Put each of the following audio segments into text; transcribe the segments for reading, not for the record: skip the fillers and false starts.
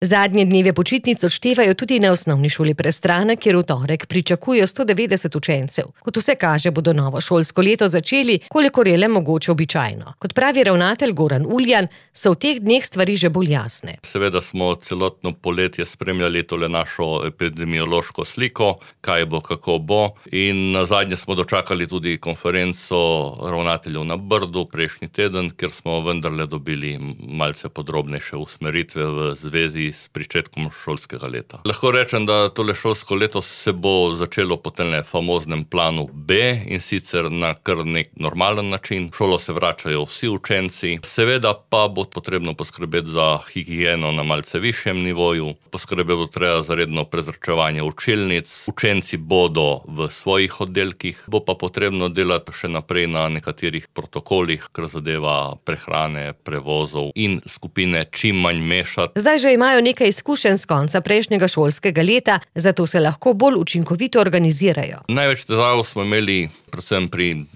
Zadnje dneve počitnic odštevajo tudi na osnovni šoli Prestrana, kjer v torek pričakujejo 190 učencev. Kot vse kaže, bodo novo šolsko leto začeli, kolikor je le mogoče običajno. Kot pravi ravnatelj Goran Uljan, so v teh dneh stvari že bolj jasne. Seveda smo celotno poletje spremljali tole našo epidemiološko sliko, kaj bo, kako bo, in nazadnje smo dočakali tudi konferenco ravnateljev na Brdu prejšnji teden, kjer smo vendarle dobili malce podrobnejše usmeritve v zvezi s pričetkom šolskega leta. Lahko rečem, da tole šolsko leto se bo začelo po tem famoznem planu B, in sicer na kar nek normalen način. V šolo se vračajo vsi učenci, seveda pa bo potrebno poskrbeti za higieno na malce višjem nivoju, poskrbeti bo treba za redno prezračevanje učilnic, učenci bodo v svojih oddelkih, bo pa potrebno delati še naprej na nekaterih protokolih, kar zadeva prehrane, prevozov in skupine čim manj mešati. Zdaj že imajo nekaj izkušenj s konca prejšnjega šolskega leta, zato se lahko bolj učinkovito organizirajo. Največ težav smo imeli predvsem pri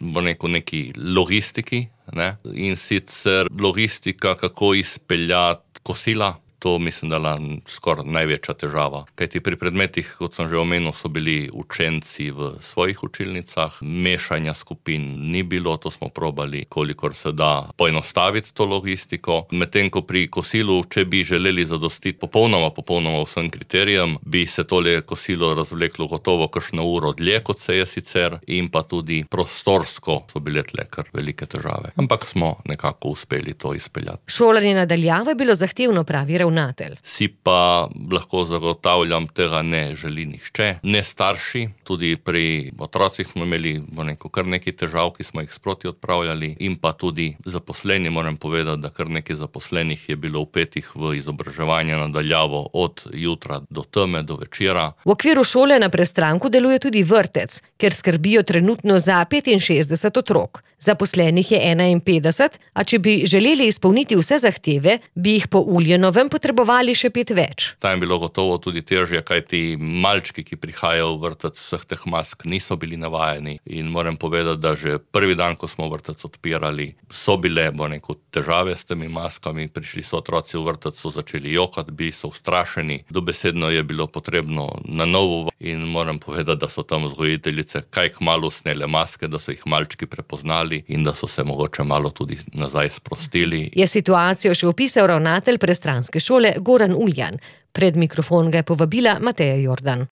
neki logistiki, in sicer logistika, kako izpeljati kosila. To mislim, da je skoraj največja težava. Kajti pri predmetih, kot sem že omenil, so bili učenci v svojih učilnicah, mešanja skupin ni bilo, to smo probali, kolikor se da poenostaviti to logistiko. Medtem ko pri kosilu, če bi želeli zadostiti popolnoma vsem kriterijem, bi se tole kosilo razvleklo gotovo kakšno uro dlje, kot se je sicer, in pa tudi prostorsko so bile tle kar velike težave. Ampak smo nekako uspeli to izpeljati. Šolanje na daljavo je bilo zahtevno, pravi ravnatelj. Si pa lahko zagotavljam, tega ne želi nihče, ne starši, tudi pri otrocih smo imeli kar nekaj težav, ki smo jih sproti odpravljali, in pa tudi zaposleni, moram povedati, da kar nekaj zaposlenih je bilo vpetih v izobraževanje na daljavo od jutra do teme, do večera. V okviru šole na Prestranku deluje tudi vrtec, kjer skrbijo trenutno za 65 otrok. Zaposlenih je 51, a če bi želeli izpolniti vse zahteve, bi jih po Uljanovem potrebovali še 5 več. Tam je bilo gotovo tudi težje, kajti malčki, ki prihajajo v vrtec, vseh teh mask niso bili navajeni, in moram povedati, da že prvi dan, ko smo vrtec odpirali, so bile težave s temi maskami. Prišli so otroci v vrtec, so začeli jokati, bili so ustrašeni, dobesedno je bilo potrebno na novo, in moram povedati, da so tam vzgojiteljice kaj kmalu snele maske, da so jih malčki prepoznali in da so se mogoče malo tudi nazaj sprostili. Je situacijo še opisal ravnatelj prestranske šole Goran Uljan. Pred mikrofon ga je povabila Mateja Jordan.